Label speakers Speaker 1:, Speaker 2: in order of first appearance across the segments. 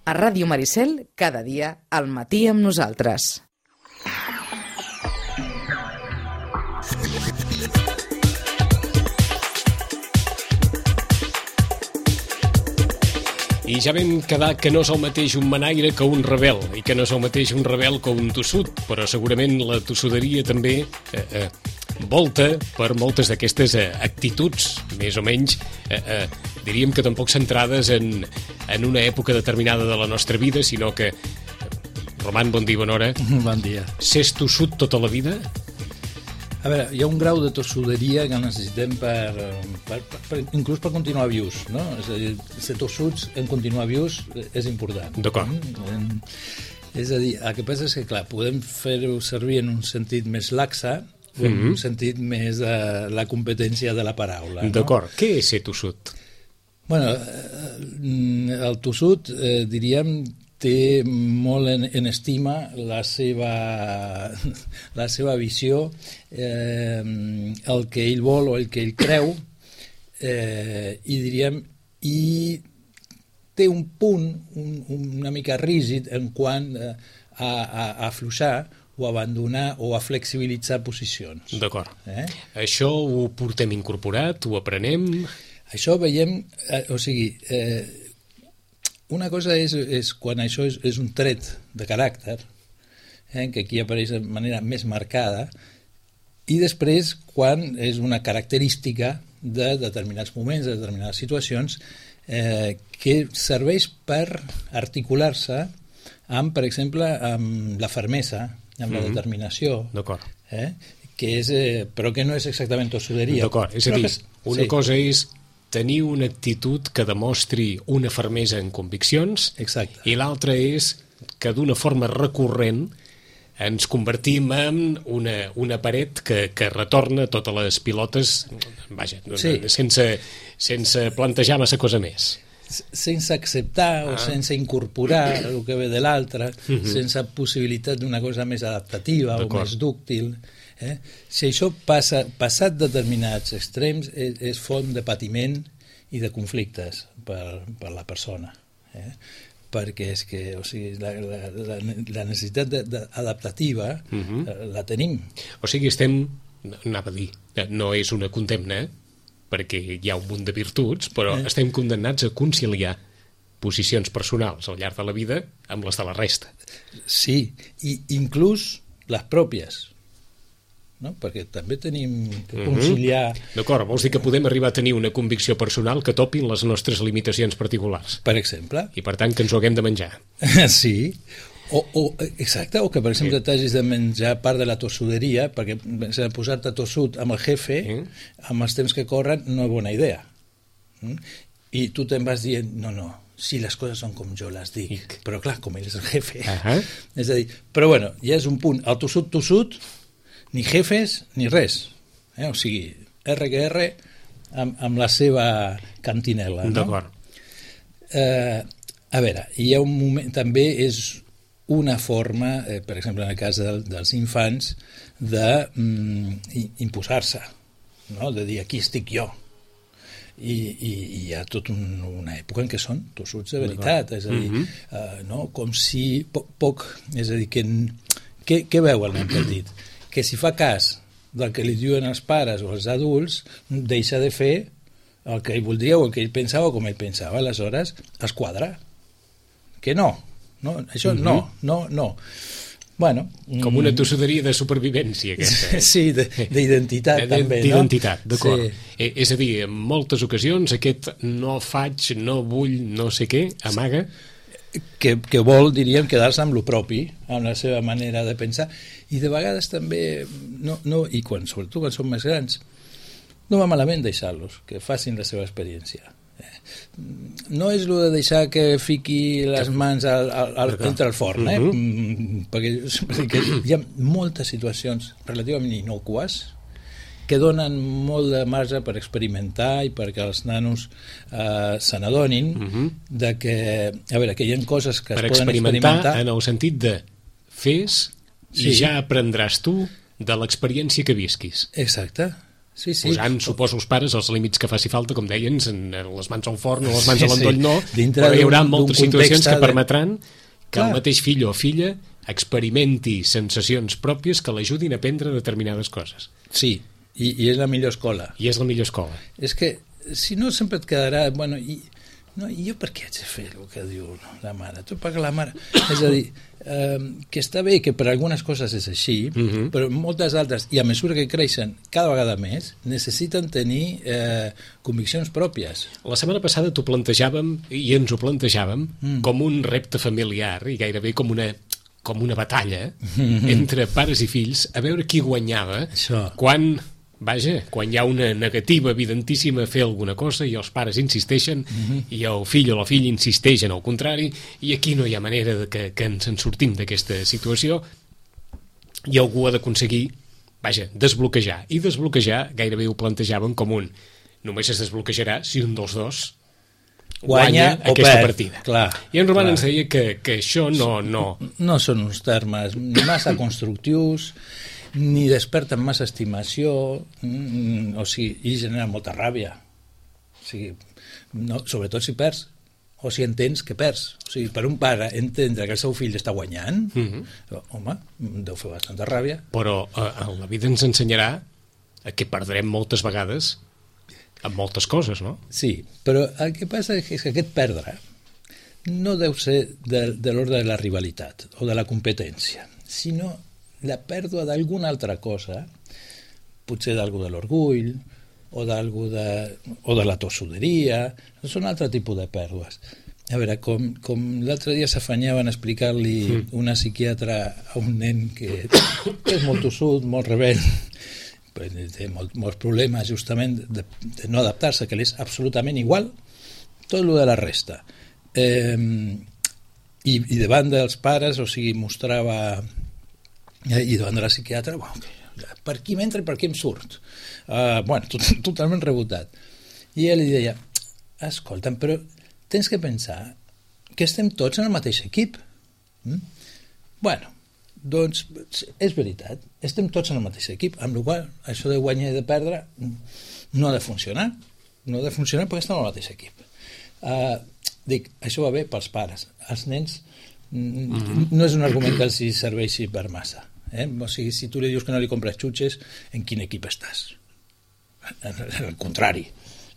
Speaker 1: A Ràdio Maricel, cada dia, al matí amb nosaltres.
Speaker 2: I ja vam quedar que no és el mateix un manaire que un rebel, i que no és el mateix un rebel que un tossut, però segurament la tossuderia també volta per moltes d'aquestes actituds, més o menys, diríem que tampoc centrades en una època determinada de la nostra vida, sinó que... Roman, bon dia, bona hora.
Speaker 3: Bon dia.
Speaker 2: S'és tossut tota la vida?
Speaker 3: A veure, hi ha un grau de tossuderia que necessitem inclús per continuar vius, no? És a dir, ser tossuts en continuar vius és important.
Speaker 2: D'acord.
Speaker 3: És a dir, el que passa és que, clar, podem fer-ho servir en un sentit més laxa o en un sentit més de la competència de la paraula.
Speaker 2: D'acord. No? Què és ser tossut?
Speaker 3: Bueno, el tossut, diríem, té molt en estima la seva visió, el que ell vol o el que ell creu, i diríem, i té un punt una mica rígid en quant a afluixar o abandonar o a flexibilitzar posicions.
Speaker 2: D'acord. Això ho portem incorporat, ho aprenem?
Speaker 3: Això veiem, o sigui... Una cosa és quan això és un tret de caràcter, que aquí apareix de manera més marcada, i després quan és una característica de determinats moments, de determinades situacions, que serveix per articular-se amb, per exemple, amb la fermesa, amb la determinació, que és, però que no és exactament tossuderia.
Speaker 2: D'acord, és a dir, una cosa és tenir una actitud que demostri una fermesa en conviccions.
Speaker 3: Exacte.
Speaker 2: I l'altra és que d'una forma recurrent ens convertim en una paret que retorna totes les pilotes, vaja, sense plantejar massa cosa més.
Speaker 3: Sense acceptar o sense incorporar el que ve de l'altre, sense possibilitat d'una cosa més adaptativa o més dúctil. Si això passat determinats extrems és font de patiment i de conflictes per la persona, perquè és que, o sigui, la necessitat adaptativa la tenim.
Speaker 2: O sigui, anava a dir, no és una condemna perquè hi ha un munt de virtuts, però estem condemnats a conciliar posicions personals al llarg de la vida amb les de la resta.
Speaker 3: Sí, i inclús les pròpies, no? Perquè també tenim que conciliar...
Speaker 2: D'acord, vols dir que podem arribar a tenir una convicció personal que topin les nostres limitacions particulars.
Speaker 3: Per exemple.
Speaker 2: I per tant que ens ho haguem de menjar.
Speaker 3: Sí, exacte, o que per exemple t'hagis de menjar part de la tossuderia, perquè posar-te tossut amb el jefe, amb els temps que corren, no és bona idea. I tu te'n vas dient, no, si les coses són com jo les dic, però clar, com ell és el jefe. És a dir, però bueno, ja és un punt, el tossut, ni jefes ni res, o sigui, R que R amb la seva cantinela, no?
Speaker 2: D'acord.
Speaker 3: A veure, hi ha un moment, també és una forma, per exemple en el cas dels infants, d'imposar-se, no? De dir aquí estic jo, i hi ha tota una època en què són tossuts de veritat, és a dir, no? Com si poc, és a dir, què veu el nen petit? Que si fa cas del que li diuen els pares o els adults, deixa de fer el que ell voldria o el que ell pensava o com ell pensava, aleshores es quadra. Que no, això no. Bueno,
Speaker 2: com una tossuderia de supervivència, aquesta.
Speaker 3: Sí, d'identitat també, no?
Speaker 2: D'identitat, d'acord. És a dir, en moltes ocasions aquest no faig, no vull, no sé què, amaga...
Speaker 3: Que vol, diríem, quedar-se amb lo propi, amb la seva manera de pensar, i de vegades també, i sobretot quan són més grans, no va malament deixar-los, que facin la seva experiència. No és el de deixar que fiqui les mans entre el forn, perquè hi ha moltes situacions relativament innòcues que donen molt de marge per experimentar i perquè els nanos se n'adonin de que, a veure, que hi ha coses que es poden experimentar
Speaker 2: en el sentit de fes i ja aprendràs tu de l'experiència que visquis.
Speaker 3: Exacte. Sí.
Speaker 2: Posant, suposo, els pares els límits que faci falta, com deien, les mans al forn o les mans a l'endoll no, però hi haurà moltes situacions que permetran que el mateix fill o filla experimenti sensacions pròpies que l'ajudin a aprendre determinades coses.
Speaker 3: Sí, i és la millor escola.
Speaker 2: I és la millor escola.
Speaker 3: És que, si no, sempre et quedarà... Bueno, i jo per què haig de fer el que diu la mare? Tu paga la mare. És a dir, que està bé que per algunes coses és així, però moltes altres, i a mesura que creixen cada vegada més, necessiten tenir conviccions pròpies.
Speaker 2: La setmana passada t'ho plantejàvem, i ens ho plantejàvem, com un repte familiar, i gairebé com una batalla entre pares i fills, a veure qui guanyava quan hi ha una negativa evidentíssima a fer alguna cosa i els pares insisteixen i el fill o la filla insisteix en el contrari, i aquí no hi ha manera que ens en sortim d'aquesta situació, i algú ha d'aconseguir desbloquejar, i desbloquejar gairebé ho plantejàvem com només es desbloquejarà si un dels dos guanya aquesta partida.
Speaker 3: Clar,
Speaker 2: i en Roman ens deia que això
Speaker 3: no són uns termes ni massa constructius ni desperten massa estimació, o sigui, i genera molta ràbia. O sigui, sobretot si perds, o si entens que perds. O sigui, per un pare entendre que el seu fill està guanyant, home, deu fer bastanta ràbia.
Speaker 2: Però la vida ens ensenyarà que perdrem moltes vegades amb moltes coses, no?
Speaker 3: Sí, però el que passa és que aquest perdre no deu ser de l'ordre de la rivalitat o de la competència, sinó la pèrdua d'alguna altra cosa, potser d'algú de l'orgull o de la tossuderia, són altre tipus de pèrdues. A veure, com l'altre dia s'afanyaven a explicar-li una psiquiatra a un nen que és molt tossut, molt rebel, té molts problemes justament de no adaptar-se, que li és absolutament igual tot el de la resta. I davant dels pares, o sigui, mostrava... i davant de la psiquiatra, per aquí m'entra i per aquí em surt. Totalment rebotat. I ell li deia, escolta'm, però tens que pensar que estem tots en el mateix equip. Doncs és veritat, estem tots en el mateix equip, amb la qual cosa això de guanyar i de perdre no ha de funcionar. No ha de funcionar perquè estem en el mateix equip. Dic, això va bé pels pares. Els nens no és un argument que els serveixi per massa. O sigui, si tu li dius que no li compres xutxes, en quin equip estàs? Al contrari,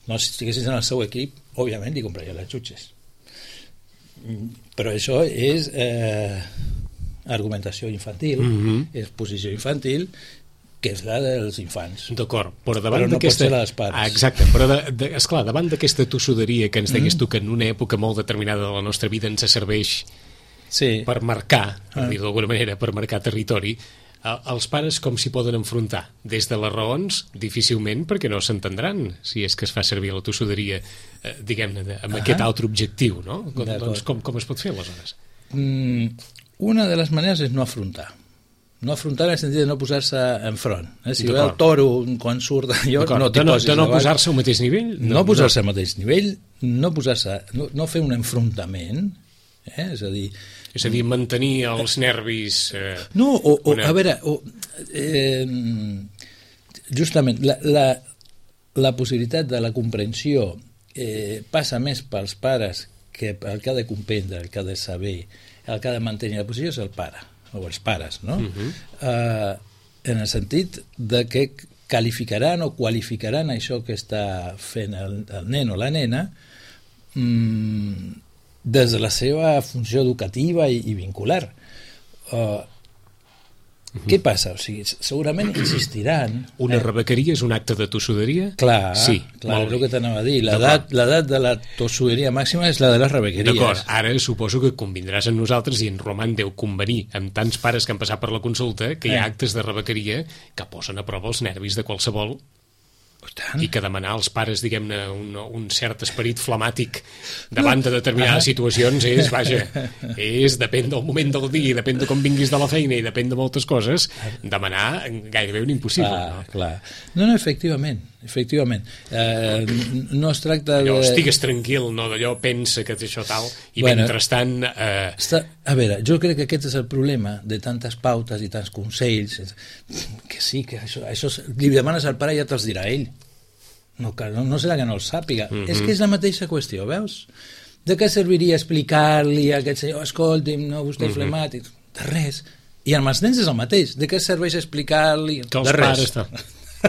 Speaker 3: si estiguessis en el seu equip, òbviament li compraria les xutxes, però això és argumentació infantil, és posició infantil, que és la dels infants.
Speaker 2: D'acord,
Speaker 3: però no pot ser la dels pares.
Speaker 2: Exacte, però esclar, davant d'aquesta tossuderia que ens deies tu que en una època molt determinada de la nostra vida ens serveix per marcar, per dir d'alguna manera, per marcar territori, els pares com s'hi poden enfrontar? Des de les raons, difícilment, perquè no s'entendran si és que es fa servir la tossuderia, diguem-ne, amb aquest altre objectiu, no? Doncs com es pot fer, aleshores?
Speaker 3: Una de les maneres és no afrontar. No afrontar en el sentit de no posar-se enfront. Si ve el toro quan surt d'allò, no t'hi posis davant.
Speaker 2: De no posar-se al mateix nivell?
Speaker 3: No posar-se al mateix nivell, no fer un enfrontament, és a dir,
Speaker 2: mantenir els nervis...
Speaker 3: a veure, justament, la possibilitat de la comprensió passa més pels pares que el que ha de comprendre, el que ha de saber, el que ha de mantenir la posició és el pare, o els pares, no? En el sentit de que qualificaran o qualificaran això que està fent el nen o la nena des de la seva funció educativa i vincular. Què passa? O sigui, segurament insistiran...
Speaker 2: Una rebequeria és un acte de tossuderia?
Speaker 3: Clar, és el que t'anava a dir. L'edat de la tossuderia màxima és la de les rebequeries.
Speaker 2: D'acord, ara suposo que convindràs amb nosaltres i en Roman deu convenir amb tants pares que han passat per la consulta que hi ha actes de rebequeria que posen a prova els nervis de qualsevol i que demanar als pares, diguem-ne, un cert esperit flamàtic davant de determinades situacions és depèn del moment del dia, depèn de com vinguis de la feina i depèn de moltes coses, demanar gairebé un impossible.
Speaker 3: Clar. No, efectivament. efectivament. No es tracta
Speaker 2: allò,
Speaker 3: de...
Speaker 2: estigues tranquil, no d'allò, pensa que té això tal, i mentrestant...
Speaker 3: A veure, jo crec que aquest és el problema de tantes pautes i tants consells, que sí, que això li demanes al pare i ja te'ls dirà ell. No serà que no el sàpiga. És que és la mateixa qüestió, veus? De què serviria explicar-li a aquest senyor, escolti'm, no, vostè és flemàtic? De res. I amb els nens és el mateix. De què serveix explicar-li?
Speaker 2: Que els pares...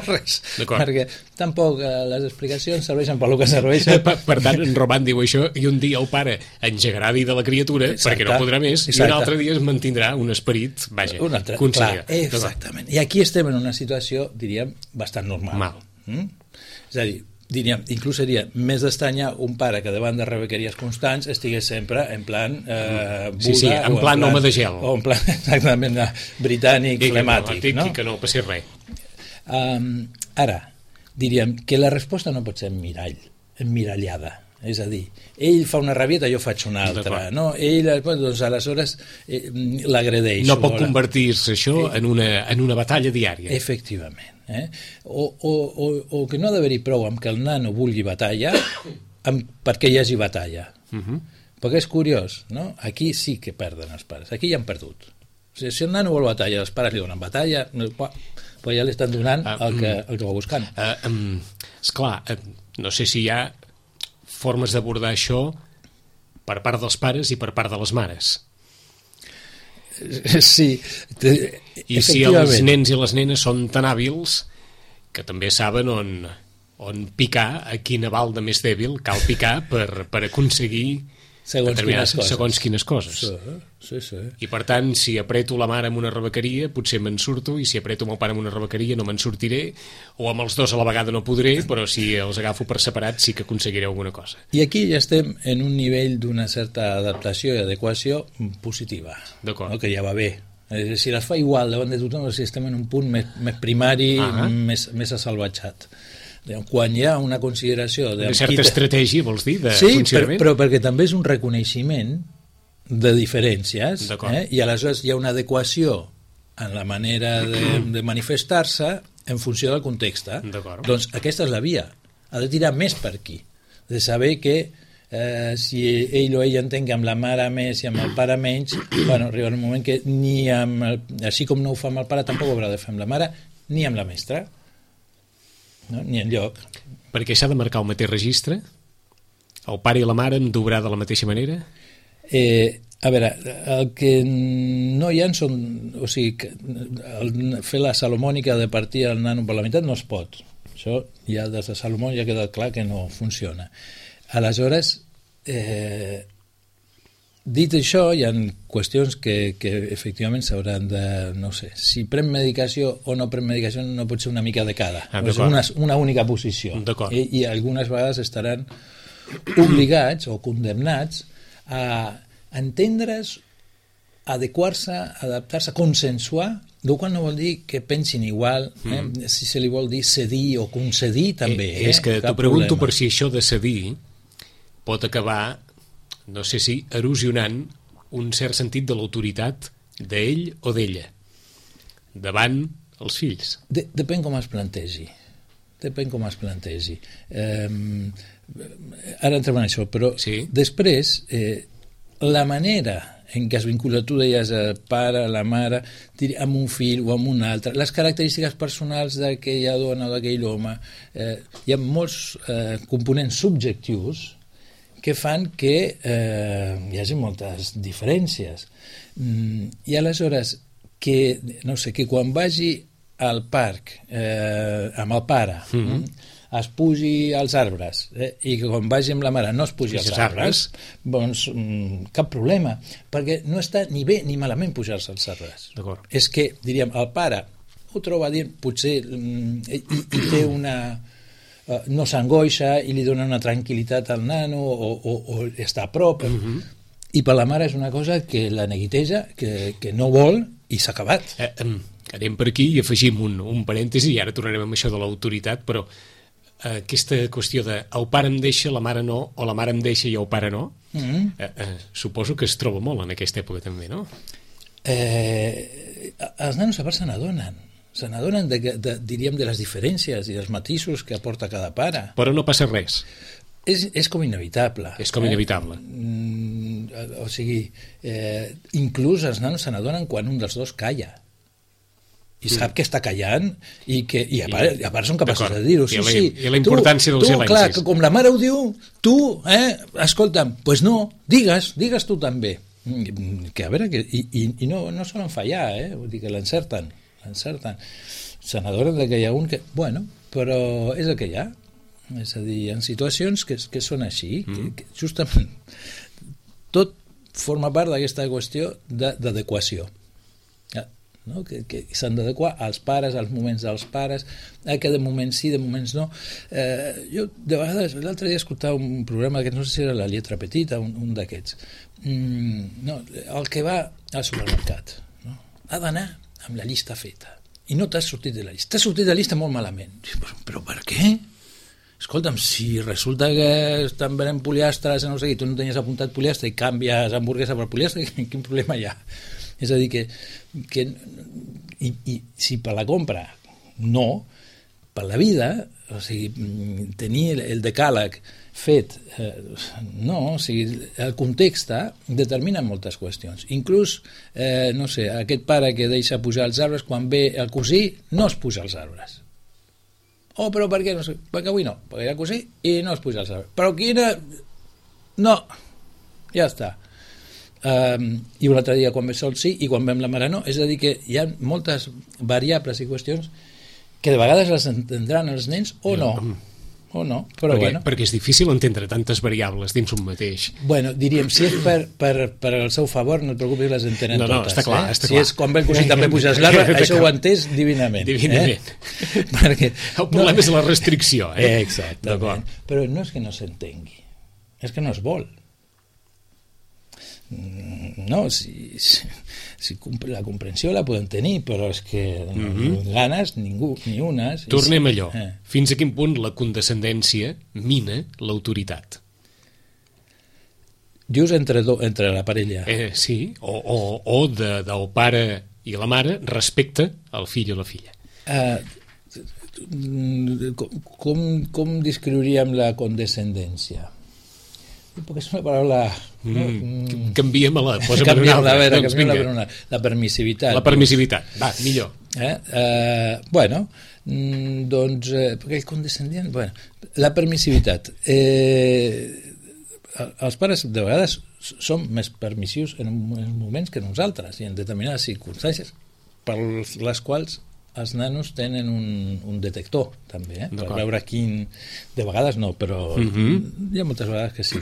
Speaker 3: Res. Perquè tampoc les explicacions serveixen pel que serveixen.
Speaker 2: Per tant, en Roman diu això, i un dia el pare engegarà dir de la criatura, perquè no podrà més, i un altre dia es mantindrà un esperit, vaja, conseller.
Speaker 3: Exactament. I aquí estem en una situació, diríem, bastant normal. És a dir, diríem, inclús seria més d'estranyar un pare que davant de rebequeries constants estigués sempre en plan Buda,
Speaker 2: en plan home de gel,
Speaker 3: o en plan exactament britànic, flemàtic,
Speaker 2: no? I que no passi res.
Speaker 3: Ara, diríem que la resposta no pot ser emmirallada, és a dir, ell fa una rabieta, jo faig una altra, no? Ell, doncs, aleshores l'agredeix.
Speaker 2: No pot convertir-se això en una batalla diària.
Speaker 3: Efectivament. O que no ha d'haver-hi prou amb que el nano vulgui batalla perquè hi hagi batalla. Perquè és curiós, no? Aquí sí que perden els pares, aquí ja han perdut. O sigui, si el nano vol batalla, els pares li donen batalla, però ja li estan donant el que va buscant.
Speaker 2: Esclar, no sé si hi ha formes d'abordar això per part dels pares i per part de les mares.
Speaker 3: Sí,
Speaker 2: i si els nens i les nenes són tan hàbils que també saben on picar, a quina balda més dèbil cal picar per aconseguir segons quines coses.
Speaker 3: Sí.
Speaker 2: I per tant, si apreto la mare amb una rebequeria potser me'n surto, i si apreto el pare amb una rebequeria no me'n sortiré, o amb els dos a la vegada no podré, però si els agafo per separat sí que aconseguiré alguna cosa.
Speaker 3: I aquí ja estem en un nivell d'una certa adaptació i adequació positiva, no? Que ja va bé. Si les fa igual davant de tothom, si estem en un punt més primari, més assalvatjat. Quan hi ha una consideració
Speaker 2: de certa estratègia, vols dir, de
Speaker 3: funcionament? Sí, però perquè també és un reconeixement de diferències, i aleshores hi ha una adequació en la manera de manifestar-se en funció del context. Doncs aquesta és la via, ha de tirar més per aquí, de saber que si ell o ella entén que amb la mare més i amb el pare menys, arriba un moment que així com no ho fa amb el pare tampoc ho haurà de fer amb la mare ni amb la mestra. No? Ni enlloc.
Speaker 2: Perquè s'ha de marcar el mateix registre? El pare i la mare han d'obrar de la mateixa manera?
Speaker 3: A veure, el que no hi ha són... O sigui, fer la salomònica de partir el nano per la meitat no es pot. Això ja des de Salomó ja queda clar que no funciona. Aleshores, dit això, hi ha qüestions que efectivament s'hauran de... No sé, si pren medicació o no pren medicació no pot ser una mica de cada. És una única posició. I algunes vegades estaran obligats o condemnats a entendre's, adequar-se, adaptar-se, consensuar, el qual no vol dir que pensin igual, si se li vol dir cedir o concedir també.
Speaker 2: És que t'ho pregunto per si això de cedir pot acabar, no sé si erosionant un cert sentit de l'autoritat d'ell o d'ella davant els fills.
Speaker 3: Depèn com es plantegi. Ara entrem en això, però després la manera en què es vincula, tu deies pare, la mare, amb un fill o amb un altre, les característiques personals d'aquella dona o d'aquell home, hi ha molts components subjectius que fan que hi hagi moltes diferències. I aleshores, que quan vagi al parc amb el pare es pugi als arbres i que quan vagi amb la mare no es pugi als arbres, doncs cap problema, perquè no està ni bé ni malament pujar-se als arbres. És que, diríem, el pare ho troba dient, potser i té una... no s'angoixa i li dona una tranquil·litat al nano o està a prop, i per la mare és una cosa que la neguiteja, que no vol, i s'ha acabat.
Speaker 2: Anem per aquí i afegim un parèntesi, i ara tornarem amb això de l'autoritat, però aquesta qüestió de el pare em deixa, la mare no, o la mare em deixa i el pare no, suposo que es troba molt en aquesta època també, no?
Speaker 3: Els nanos a part se n'adonen. se n'adonen diríem, de les diferències i dels matisos que aporta cada pare.
Speaker 2: Però no passa res.
Speaker 3: És com inevitable.
Speaker 2: És com inevitable.
Speaker 3: O sigui, inclús els nanos se n'adonen quan un dels dos calla. I sap que està callant i a part són capaços de dir-ho.
Speaker 2: I la importància dels silencis.
Speaker 3: Clar, que com la mare ho diu, tu, escolta'm, doncs no, digues tu també. Que a veure, i no solen fallar, vull dir que l'encerten. Se n'adonen que hi ha un que... Bueno, però és el que hi ha. És a dir, hi ha situacions que són així, que justament tot forma part d'aquesta qüestió d'adequació. No? Que s'han d'adequar als pares, als moments dels pares, que de moments sí, de moments no. Jo, de vegades, l'altre dia escoltava un programa que no sé si era La Lletra Petita, un d'aquests. No, el que va al supermercat, no? Ha d'anar amb la llista feta. I no t'has sortit de la llista. T'has sortit de la llista molt malament. Però per què? Escolta'm, si resulta que estan venent poliastres, no sé, i tu no tenies apuntat poliastre i canvies hamburguesa per poliastre, quin problema hi ha? És a dir, que si per la compra no, per la vida, o sigui, tenir el decàleg fet, no, o sigui, el context determina moltes qüestions. Inclús, no sé, aquest pare que deixa pujar els arbres, quan ve el cosí, no es puja els arbres. Oh, però per què? No sé, perquè avui no, perquè hi ha cosí i no es puja els arbres. Però quina... No, ja està. I un altre dia quan ve sol sí i quan vem la mare no, és a dir que hi ha moltes variables i qüestions que de vegades les entendran els nens o no, però
Speaker 2: perquè és difícil entendre tantes variables dins un mateix.
Speaker 3: Bueno, diríem, si és per el seu favor, no et preocupis, les entenen totes.
Speaker 2: Està clar, està
Speaker 3: clar. Si és quan ve el cosí també puges l'arbre, això ho he entès divinament.
Speaker 2: Perquè el problema és la restricció.
Speaker 3: Exactament. Però no és que no s'entengui, és que no es vol. No, si la comprensió la podem tenir, però és que ganes ningú, ni unes.
Speaker 2: Tornem a allò. Fins a quin punt la condescendència mina l'autoritat?
Speaker 3: Dius entre la parella.
Speaker 2: Sí, o del pare i la mare respecte al fill o la filla.
Speaker 3: Com descriuríem la condescendència? Perquè és una paraula...
Speaker 2: Canviem-la, posa'm una altra.
Speaker 3: La permissivitat.
Speaker 2: La permissivitat, va, millor.
Speaker 3: Bueno, doncs, perquè el condescendent... Bueno, la permissivitat. Els pares, de vegades, som més permissius en moments que nosaltres i en determinades circumstàncies per les quals els nanos tenen un detector també, per veure quin... De vegades no, però hi ha moltes vegades que sí.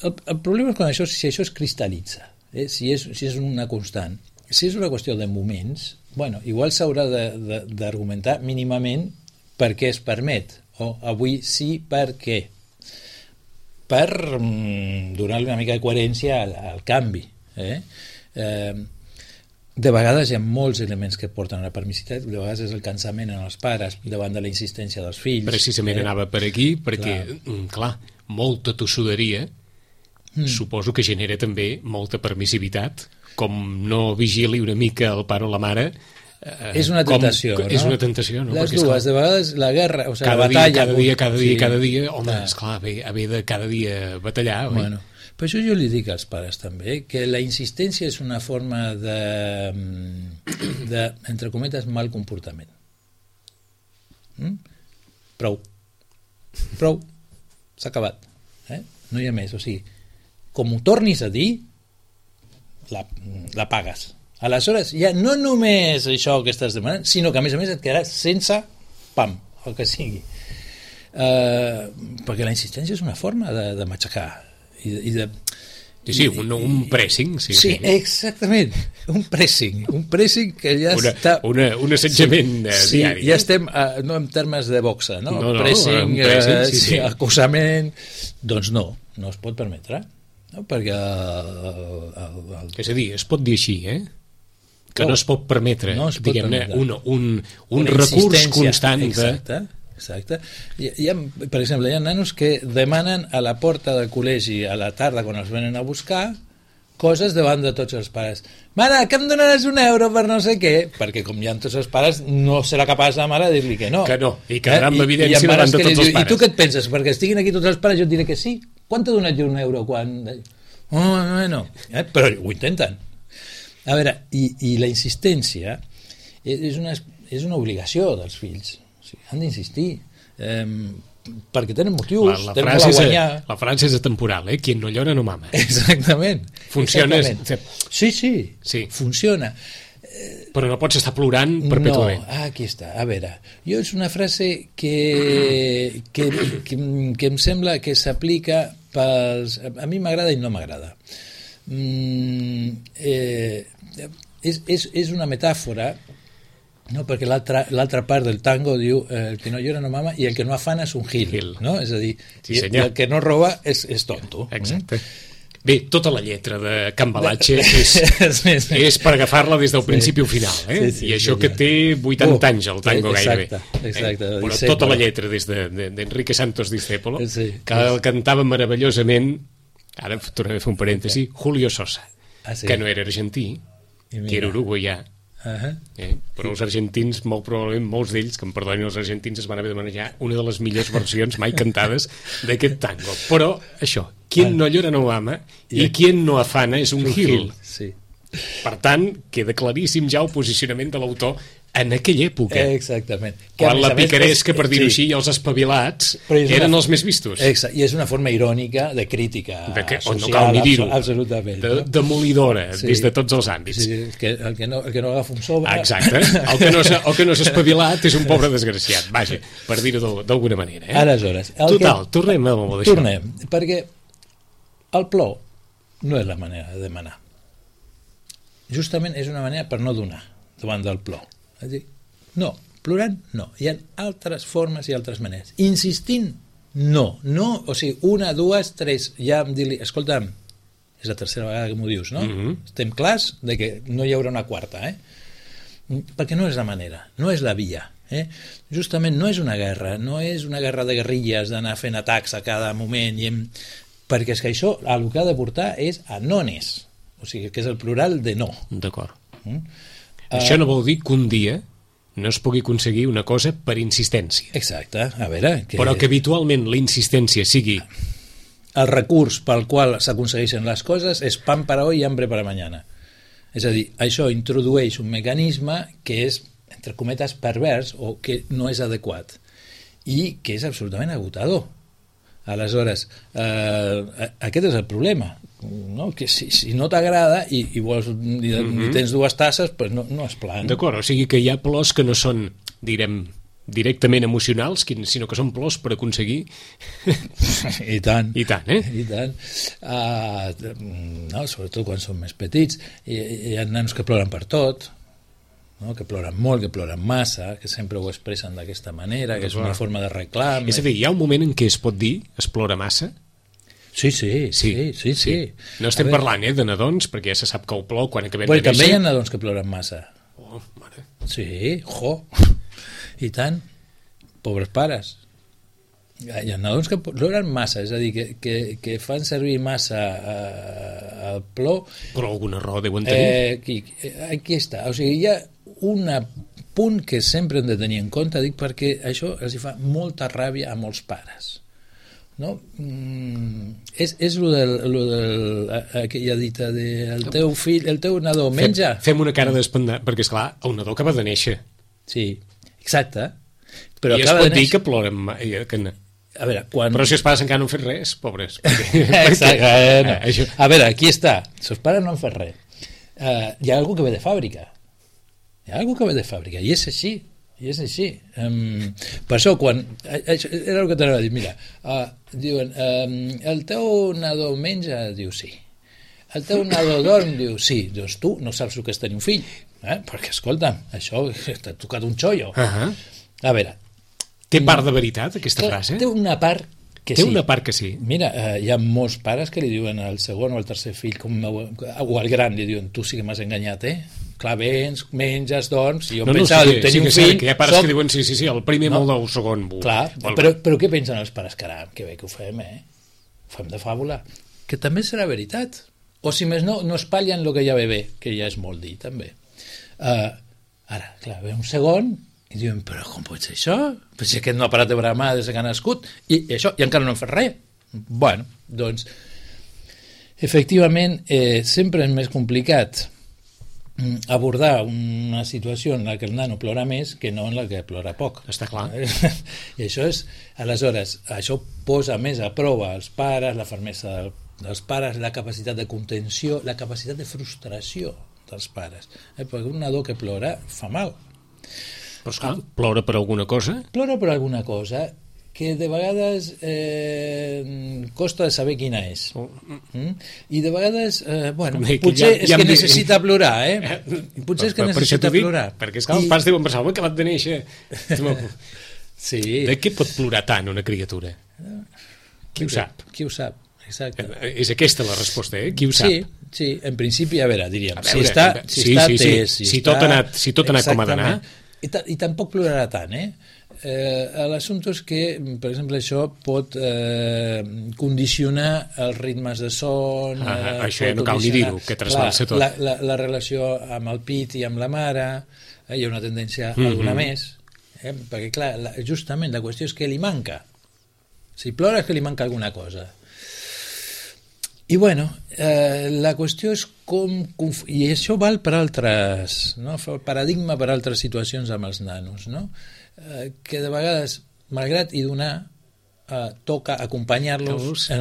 Speaker 3: El problema és quan si això es cristal·litza, si és una constant. Si és una qüestió de moments, bueno, igual s'haurà d'argumentar mínimament per què es permet, o avui sí per què, per donar-li una mica de coherència al canvi. De vegades hi ha molts elements que porten a la permissivitat, de vegades és el cansament en els pares davant de la insistència dels fills.
Speaker 2: Precisament anava per aquí, perquè, clar, molta tossuderia suposo que genera també molta permissivitat, com no vigili una mica el pare o la mare.
Speaker 3: És una tentació, no?
Speaker 2: És una tentació, no?
Speaker 3: Les dues, de vegades la guerra, o sigui, la batalla...
Speaker 2: Cada dia, home, esclar, haver de cada dia batallar, oi?
Speaker 3: Bueno, per això jo li dic als pares també que la insistència és una forma de entre cometes, mal comportament. Prou, s'ha acabat, no hi ha més, o sigui, com ho tornis a dir, la pagues. Aleshores, ja no només això que estàs demanant, sinó que a més et quedaràs sense pam, el que sigui. Perquè la insistència és una forma de matxacar i de...
Speaker 2: Sí, un pressing.
Speaker 3: Sí, exactament, un pressing que ja està...
Speaker 2: Un assetjament diari.
Speaker 3: Ja estem, no en termes de boxa, no? Pressing, acusament... Doncs no es pot permetre, no? Perquè...
Speaker 2: És a dir, es pot dir així, que no es pot permetre, diguem-ne, un recurs constant de...
Speaker 3: Exacte. Per exemple, hi ha nanos que demanen a la porta del col·legi a la tarda, quan els venen a buscar, coses davant de tots els pares. Mare, que em donaràs €1 per no sé què? Perquè com hi ha tots els pares, no serà capaç la mare de dir-li que no.
Speaker 2: Que no, i quedarà amb evidència davant de tots els pares.
Speaker 3: I tu què et penses? Perquè estiguin aquí tots els pares jo et diré que sí. Quan t'ha donat jo €1? Quan... no. Però ho intenten. A veure, i la insistència és una obligació dels fills. O sigui, han d'insistir. Perquè tenen motius,
Speaker 2: la
Speaker 3: tenen molt a guanyar.
Speaker 2: La frase és atemporal, Quien no llora no mama.
Speaker 3: Exactament.
Speaker 2: Funciona.
Speaker 3: Sí, funciona.
Speaker 2: Però no pots estar plorant perpètuament.
Speaker 3: No, aquí està. A veure, jo és una frase que em sembla que s'aplica pels... A mi m'agrada i no m'agrada. És una metàfora, no? Perquè l'altra part del tango diu el que no llora no mama i el que no afana és un gil. No? És a dir,
Speaker 2: sí,
Speaker 3: i el que no roba és tonto.
Speaker 2: Exacte. Bé, tota la lletra de Cambalache és per agafar-la des del principi al final, i això que té 80 anys el tango gairebé.
Speaker 3: Exacte.
Speaker 2: Però tota la lletra des d'Enrique Santos Discépolo, que el cantava meravellosament, ara tornaré a fer un parèntesi, Julio Sosa, que no era argentí, que era uruguaià, però els argentins, molt probablement molts d'ells, que em perdonin els argentins, es van haver de manejar una de les millors versions mai cantades d'aquest tango. Però això, quien no llora no mama i quien no afana és un gil. Per tant, queda claríssim ja el posicionament de l'autor en aquella època.
Speaker 3: Exactament.
Speaker 2: Quan la picaresca, per dir-ho així, i els espavilats eren els més vistos.
Speaker 3: Exacte, i és una forma irònica de crítica social,
Speaker 2: no cal ni dir-ho,
Speaker 3: absolutament.
Speaker 2: Demolidora, des de tots els àmbits.
Speaker 3: El que no agafa un sobre...
Speaker 2: Exacte, el que no s'ha espavilat és un pobre desgraciat, vaja, per dir-ho d'alguna manera.
Speaker 3: Aleshores...
Speaker 2: Total, tornem a d'això.
Speaker 3: Tornem, perquè el plor no és la manera de demanar. Justament és una manera per no donar davant del plor. És a dir, no, plorant, no. Hi ha altres formes i altres maneres. Insistint, no. O sigui, 1, 2, 3, ja em dir-li, escolta'm, és la tercera vegada que m'ho dius, no? Estem clars de que no hi haurà una quarta, perquè no és la manera, no és la via. Justament no és una guerra, no és una guerra de guerrilles d'anar fent atacs a cada moment, perquè és que això el que ha de portar és a nones, o sigui, que és el plural de no.
Speaker 2: D'acord. Això no vol dir que un dia no es pugui aconseguir una cosa per insistència.
Speaker 3: Exacte, a veure...
Speaker 2: Però que habitualment la insistència sigui...
Speaker 3: El recurs pel qual s'aconsegueixen les coses és pan para hoy i hambre para mañana. És a dir, això introdueix un mecanisme que és, entre cometes, pervers o que no és adequat i que és absolutament agotador. Aleshores, aquest és el problema, no? Que si no t'agrada i vols i tens 2 tasses, pues no és plan.
Speaker 2: D'acord, o sigui que hi ha plors que no són, direm, directament emocionals, sinó que són plors per aconseguir...
Speaker 3: I tant.
Speaker 2: I tant.
Speaker 3: No, sobretot quan són més petits. Hi ha nanos que ploren per tot, no? Que ploren molt, que ploren massa, que sempre ho expressen d'aquesta manera, que és una forma de reclam.
Speaker 2: És a dir, hi ha un moment en què es pot dir es plora massa?
Speaker 3: Sí.
Speaker 2: No estem parlant de nadons, perquè ja se sap que el plor quan acabem de néixer...
Speaker 3: També hi ha nadons que ploren massa.
Speaker 2: Oh, mare.
Speaker 3: Sí, i tant. Pobres pares. Hi ha nadons que ploren massa, és a dir, que fan servir massa el plor...
Speaker 2: Però alguna raó deuen tenir.
Speaker 3: Aquí està. O sigui, hi ha un punt que sempre hem de tenir en compte, dic, perquè això els fa molta ràbia a molts pares. No? És lo del aquella dita de el teu fill, el teu nadó menja.
Speaker 2: Fem una cara d'espantat, perquè esclar, el nadó acaba de néixer.
Speaker 3: Sí, exacte. Però
Speaker 2: i es pot dir que ploren
Speaker 3: a veure,
Speaker 2: però si els pares encara no han fet res, pobres.
Speaker 3: Exacte. A veure, aquí està, si els pares no han fet res, hi ha algú que ve de fàbrica, i és així. Per això, quan era el que t'anava a dir, mira, diuen, el teu nadó menja? Diu sí. El teu nadó dorm? Diu sí. Doncs tu no saps el que és tenir un fill, perquè escolta'm, això t'ha tocat un xollo. A veure,
Speaker 2: té part de veritat aquesta frase?
Speaker 3: Té una part que
Speaker 2: té
Speaker 3: sí.
Speaker 2: Una part que sí.
Speaker 3: Mira, hi ha molts pares que li diuen al segon o al tercer fill, o al gran, li diuen, tu sí que m'has enganyat, clar, vens, menges, dorms, i jo pensava que tenir un fill...
Speaker 2: Que hi ha pares que diuen, sí, el primer molt del segon.
Speaker 3: Clar, però què pensen els pares? Caram, que bé que ho fem, ho fem de fàbula. Que també serà veritat, O si més no espatllen el que ja ve bé, que ja és molt dir, també. Ara, clar, ve un segon i diuen, però com pot ser això? Però si aquest no ha parat de bramar des que ha nascut i això, i encara no hem fet res. Bueno, doncs, efectivament, sempre és més complicat abordar una situació en la que el nano plora més que no en la que plora poc.
Speaker 2: Està clar.
Speaker 3: I això és, aleshores, això posa més a prova els pares, la fermesa dels pares, la capacitat de contenció, la capacitat de frustració dels pares. Perquè un nadó que plora fa mal.
Speaker 2: Però esclar, plora per alguna cosa?
Speaker 3: Plora per alguna cosa que de vegades costa de saber quina és. I de vegades, bueno, potser és que necessita plorar, Potser és que necessita plorar.
Speaker 2: Perquè és que els pares diuen, pensava, acabat de néixer.
Speaker 3: Sí.
Speaker 2: De què pot plorar tant una criatura? Qui ho sap?
Speaker 3: Qui ho sap, exacte.
Speaker 2: És aquesta la resposta, Qui ho sap?
Speaker 3: Sí, en principi, a veure, diríem,
Speaker 2: si tot ha anat com ha d'anar.
Speaker 3: I tampoc plorarà tant, l'assumpte és que, per exemple, això pot condicionar els ritmes de son,
Speaker 2: això ja no cal ni dir-ho, que trasbalsa tot.
Speaker 3: La relació amb el pit i amb la mare, hi ha una tendència a donar més, perquè, clar, justament la qüestió és que li manca. Si plora és que li manca alguna cosa. I bueno, la qüestió és com... I això val per altres... No? El paradigma per altres situacions amb els nanos, no? Que de vegades, malgrat i donar, toca acompanyar-los en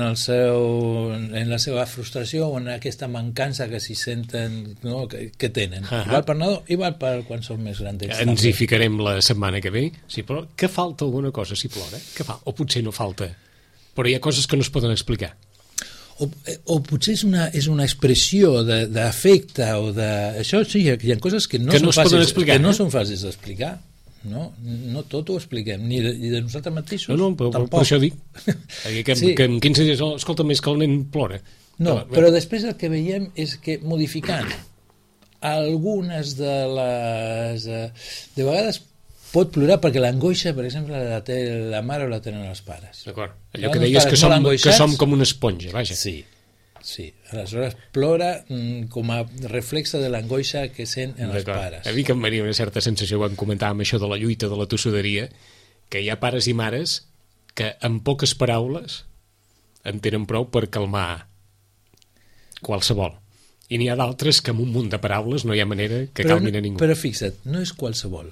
Speaker 3: la seva frustració o en aquesta mancança que s'hi senten, no? que tenen. Val per nadó i val per quan són més grans.
Speaker 2: Ens hi ficarem la setmana que ve. Si plora, que falta alguna cosa si plora? O potser no falta, però hi ha coses que no es poden explicar.
Speaker 3: O potser és una expressió d'afecte o de... Això sí, hi ha coses que no són fàcils d'explicar. No tot ho expliquem, ni de nosaltres mateixos.
Speaker 2: No, per això dic. Que en 15 dies, escolta, més que el nen plora.
Speaker 3: No, però després el que veiem és que modificant algunes de les... De vegades pot plorar perquè l'angoixa, per exemple, la té la mare o la tenen els pares.
Speaker 2: D'acord. Allò que deies que som com una esponja, vaja.
Speaker 3: Sí. Aleshores plora com a reflexe de l'angoixa que sent en els pares.
Speaker 2: A mi que em venia una certa sensació quan comentàvem això de la lluita de la tossuderia, que hi ha pares i mares que amb poques paraules en tenen prou per calmar qualsevol. I n'hi ha d'altres que amb un munt de paraules no hi ha manera que calmin a ningú.
Speaker 3: Però fixa't, no és qualsevol.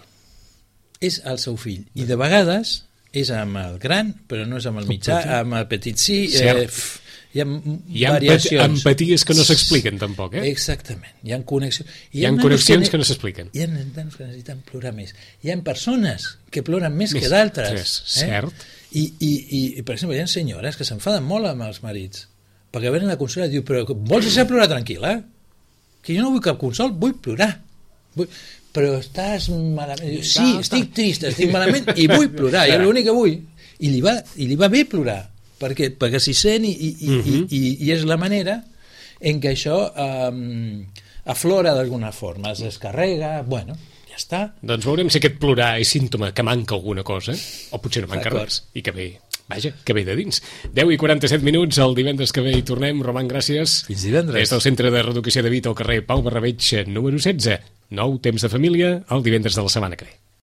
Speaker 3: És el seu fill. I de vegades és amb el gran, però no és amb el mitjà, amb el petit sí. Hi ha variacions.
Speaker 2: Empaties que no s'expliquen tampoc,
Speaker 3: Exactament. Hi ha connexions.
Speaker 2: Hi ha connexions que no s'expliquen.
Speaker 3: Hi ha nanos que necessiten plorar més. Hi ha persones que ploren més que d'altres.
Speaker 2: Cert.
Speaker 3: I, per exemple, hi ha senyores que s'enfaden molt amb els marits, perquè venen a la consola i diu, però vols deixar plorar tranquil·la? Que jo no vull cap consol, vull plorar. Però estàs malament. Sí, estic trista, estic malament i vull plorar, és l'únic que vull. I li va bé plorar, perquè s'hi sent i és la manera en què això aflora d'alguna forma, es descarrega, bueno, ja està.
Speaker 2: Doncs veurem si aquest plorar és símptoma que manca alguna cosa, o potser no manca res, i que ve... Vaja, que ve de dins. 10:47 minuts, el divendres que ve hi tornem. Roman, gràcies.
Speaker 3: Fins divendres.
Speaker 2: Des del Centre de Reeducació de Vita al carrer Pau Barrabeig, número 16. Nou temps de família, el divendres de la setmana que ve.